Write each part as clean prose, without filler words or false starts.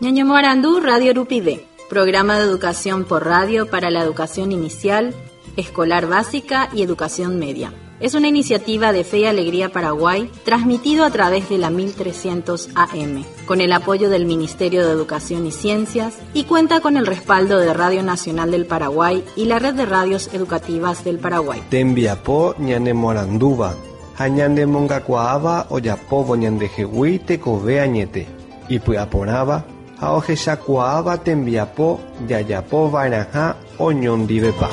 Ñañemoarandu Radio Rupive, programa de educación por radio para la educación inicial, escolar básica y educación media. Es una iniciativa de Fe y Alegría Paraguay, transmitido a través de la 1300 AM, con el apoyo del Ministerio de Educación y Ciencias y cuenta con el respaldo de Radio Nacional del Paraguay y la Red de Radios Educativas del Paraguay. Tembiapo ñanemoarandúva ha ñanemongakuaáva ojapóvo ñandehegui tekove añete, ipy'aporãva ha ohechakuaáva tembiapo jajapova'erãha oñondivepa.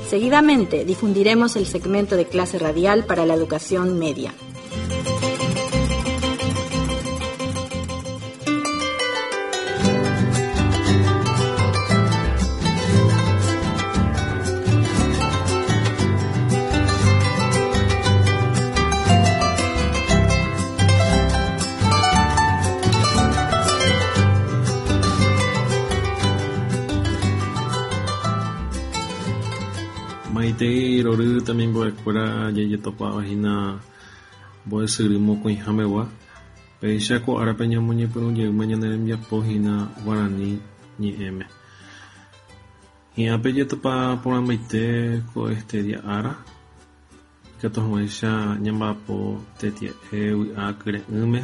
Seguidamente difundiremos el segmento de clase radial para la educación media. Maitei rory temimbo'ekuéra jajetopáva hína mbo'esyry mokõiha megua. Péicha ko árape ñamoñepyrũjeýma ñane rembiapo hína guarani ñe'ẽme. Hi'ã pejetopa porãmbaite ko este día ára, ikatu hag̃uáicha ñamba'apo tetia'e vy'a kyre'ỹme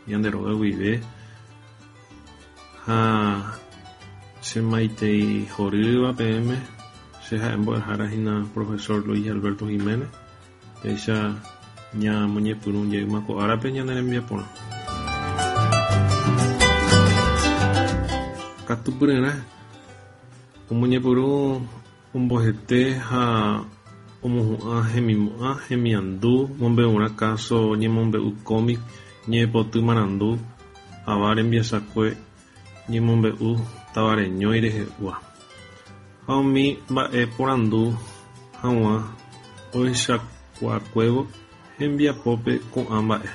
ñande róga guive ha che maitei horýva peẽme, che ha'e mbo'ehára hína profesor Luis Alberto Giménez, péicha ñamoñepyrũ jeýma ko árape ñane rembiaporã. Katupyryrã omoñepyrũ ombohete ha omohu'ã hemimo'ã, hemiandu, mombe'urã káso ñemombe'u cómic, ñe'ẽpoty marandu, ava rembiasakue ñemombe'u tavareñói rehegua ha umi mba'e porandu hag̃ua ohechakuaakuévo hembiapópe ko'ã mba'e.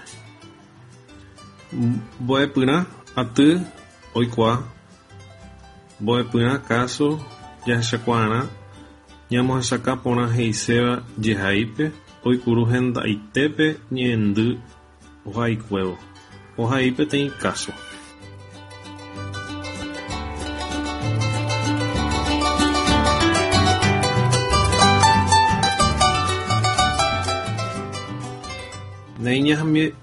Mbo'epyrã aty oikuaa, mbo'epyrã káso jahechakuaarã ñamohesakã porã he'iséva jehaípe oipuru hendaitépe ñe'ẽndy ohaikuévo. Ohai peteĩ káso. Néi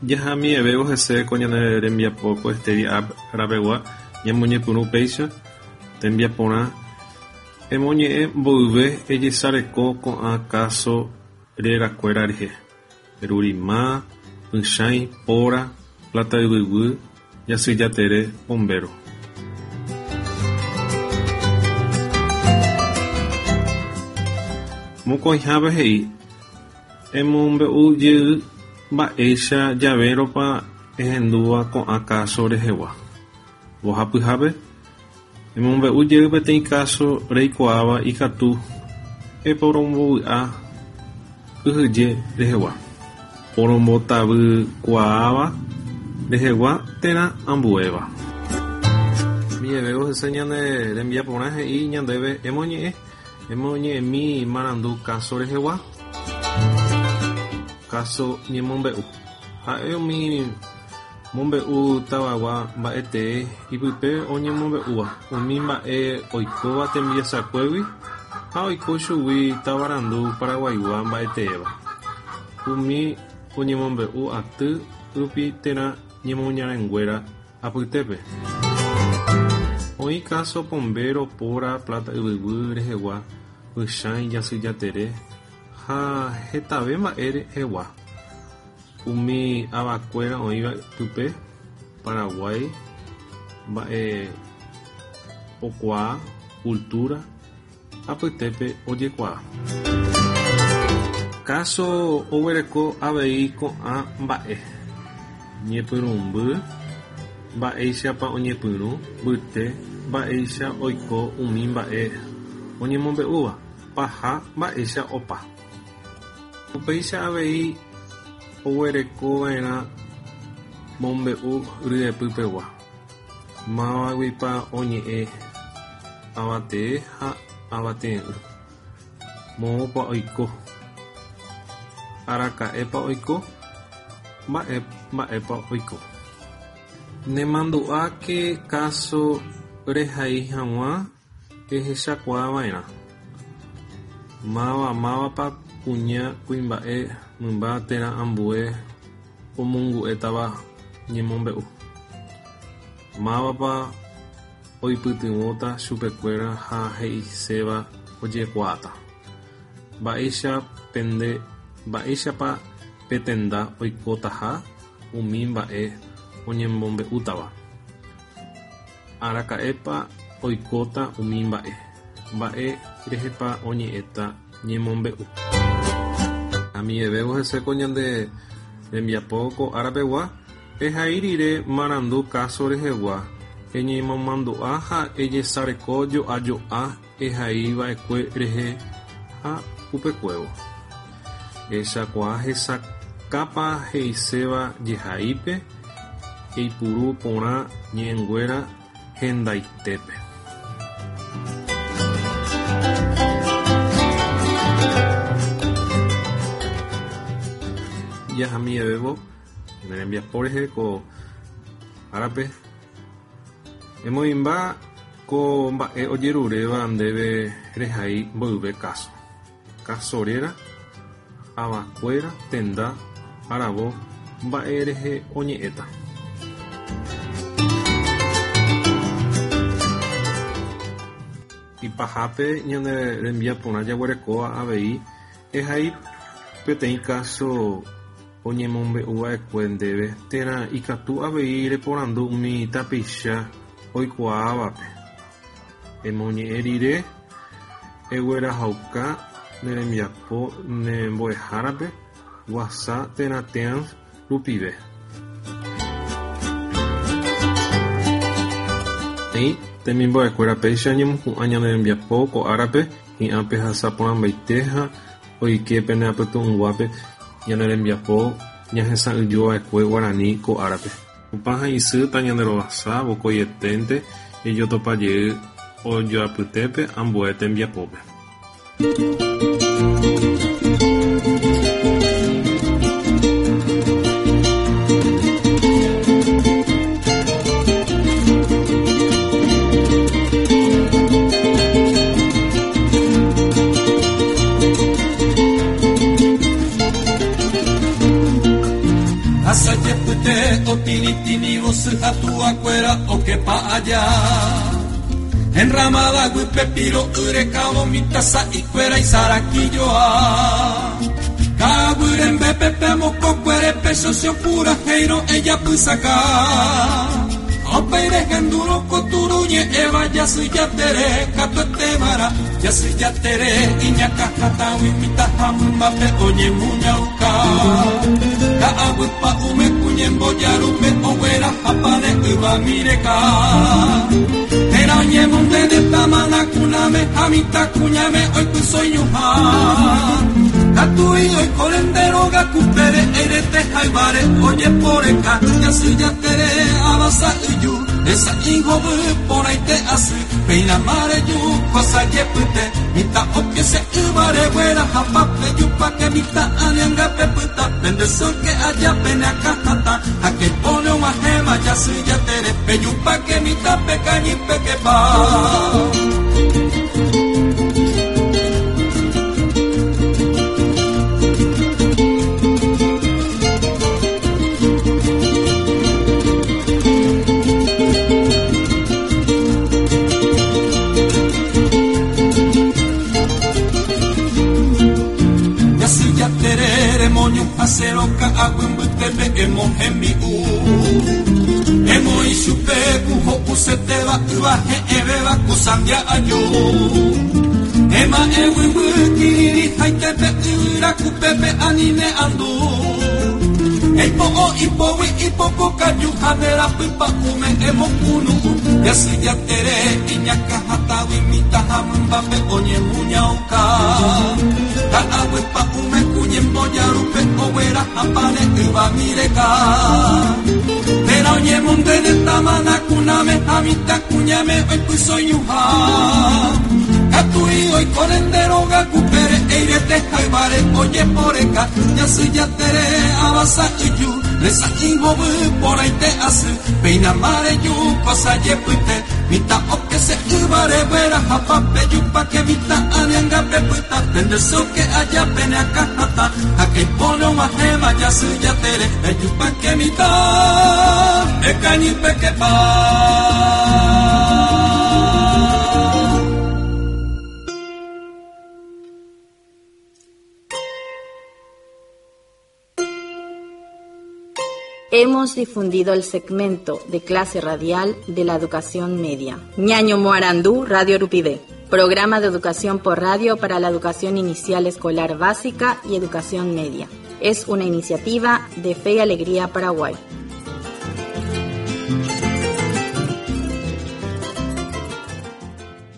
jahami'evévo hese ko ñane rembiapo ko este día rapegua ñamoñepyrũ péicha tembiaporã emoñe'ẽ mboyve ejesareko ko'ã káso rerakuéra rehe. Rurima, Pychãi, Póra, Plata Yvyguy, Jasyjatere, Pombéro. Mokõihápe he'i, Emombe'u jey mba'éicha javérõpa ehendúva ko'ã káso rehegua. Mbohapyhápe, emombe'u jey peteĩ káso reikuaáva ikatu eporombovy'a kyhyje rehegua, porombotavykuaáva rehegua térã ambuéva. Miẽvévo hese ñane rembiaporã he'i ñandéve emoñe'ẽ, emoñe'ẽmi marandu káso rehegua, káso ñemombe'u. Ha'e umi Mombe'u tavagua mba'etee ipype oñemombe'úva umi mba'e oikóva tembiasakuégui ha oiko chugui tavarandu paraguaigua mba'eteéva, umi oñemombe'u aty rupi térã ñemoñarenguéra apytépe. Oĩ káso Pombéro, Póra, Plata Yvyguy rehegua, Pychãi, Jasyjatere ha hetave mba'e rehegua. Umi avakuéra oĩva pype, Paraguái mba'epokuaa, cultura, apytépe ojekuaa. Káso oguereko avei ko'ã mba'e, ñepyrũmby, mba'éichapa oñepyrũ, mbyte, mba'éicha oiko umi mba'e oñemombe'úva, paha, mba'éicha opa. Upéicha avei oguerekova'erã mombe'u ryepypegua, mávaguipa oñe'ẽ avatee ha avatee'ỹ, moõpa oiko, araka'épa oiko, mba'e mba'épa oiko. Nemandu'áke káso rehai hag̃ua ehechakuaava'erã mavamávapa kuña, kuimba'e, mymba térã ambue omongu'étava ñemombe'u. Mávapa oipytyvõta chupekuéra ha he'iséva ojekuaáta. Mba'éichapa pe tenda oikotaha umi mba'e oñemombe'útava. Araka'épa oikóta umi mba'e. Mba'e rehépa oñe'ẽta ñemombe'u. Amivevévo hese ko ñande rembiapo ko árapegua, ehai rire marandu káso rehegua, eñemomandu'a ha ejesareko jo'ajo'a ehaiva'ekue rehe ha upekuévo. Ehechakuaa hesakãpa he'iséva jehaípe, eipuru porã ñe'ẽnguéra hendaitépe. Jahamivevévo ñane rembiapo rehe ko árape. Emoĩmba ko mba'e ojeruréva ndéve rehai mboyve káso. Káso réra, avakuéra, tenda, aravo, mba'e rehe oñe'ẽta. Ipahápe ñane rembiaporã jaguerekóva avei ehai peteĩ káso oñemombe'uva'ekue ndéve térã ikatu avei reporandu umi tapicha oikuaávape. Emoñe'ẽ rire eguerahauka ne rembiapo ne mbo'ehárape WhatsApp térã Teams rupive. Néi, temimbo'ekuéra péicha ñemohu'ã ñane rembiapo ko árape hi'ã pehasa porãmbaite ha oike pene apytu'ũnguápe ñane rembiapo ñahesa'ỹijova'ekue guarani ko árape. Tupã ha isy tañanderovasa vokoieténte ejotopajey ojoapytépe ambue tembiapópe. Asajepyte otinitinívo sy ha tuvakuéra okepa aja. Enramada guýpe piro'y rekávo mitã sa'ikuéra isarakijoa. Ka'aguy rembepe pe mokõkuére pe socio purahéirõ ejapysaka. Ha upéi rehendúrõ ko turu ñe'ẽva jasy jatere katuetévara jasy jatere iñakã hatãgui mitã ha mymbape oñemuñauka. Ka'aguy pa'ũme kuñembojarúpe oguerahapáne yvami reka. Térã oñemonde ne tamana kuname ha mitã kuñame oipyso iñuhã. Katui oiko rende róga kupére eirete hayváre ojeporeka jasy jatere ava sa'yju hesa'i hovy porãite asy péina mareju kosa jepyte mitã okese yvare guerahapa pejupáke mitã anianga pepyta pende sy oke aja pene akãhatã ha keipóne og̃uahẽma jasy jatere pejupáke mitã pekañy pekepa. Jasy jatere remoñuhãsérõ ka'aguy mbytépe emohembi'u. Emoĩ chupe ku ho'usetéva yva he'ẽvéva ku sandia aju. Ema'ẽ guyguy kirirĩhaitépe yvyra kupépe ani ne andu. Eipo'o ipógui ipoko kaju ha nde rapypa'ũme emokunu'ũ. Jasy jatere iñakã hatãgui mitã ha mymbápe oñemuñauka. Ka'aguy pa'ũme ku ñembojarúpe oguerahapáne yvami reka. Térã oñemonde ne tamana kuname ha mitã kuñáme oipyso iñuhã. Katui oiko nde róga kupére eirete ha Hayvare ojeporeka Jasy Jatere ava sa'yju Resa'ĩ hovy porãite asy Péina mareju ko sajepyte Mitã okese yvare guerahapa Pejupáke mitã anianga pepyta Pende soke aja pene akãhatã Hake ipóne og̃uahẽma Jasy Jatere Pejupáke mitã Pekañy pekepa. Hemos difundido el segmento de clase radial de la educación media. Ñaño Moarandú, Radio Rupivé. Programa de educación por radio para la educación inicial escolar básica y educación media. Es una iniciativa de Fe y Alegría Paraguay.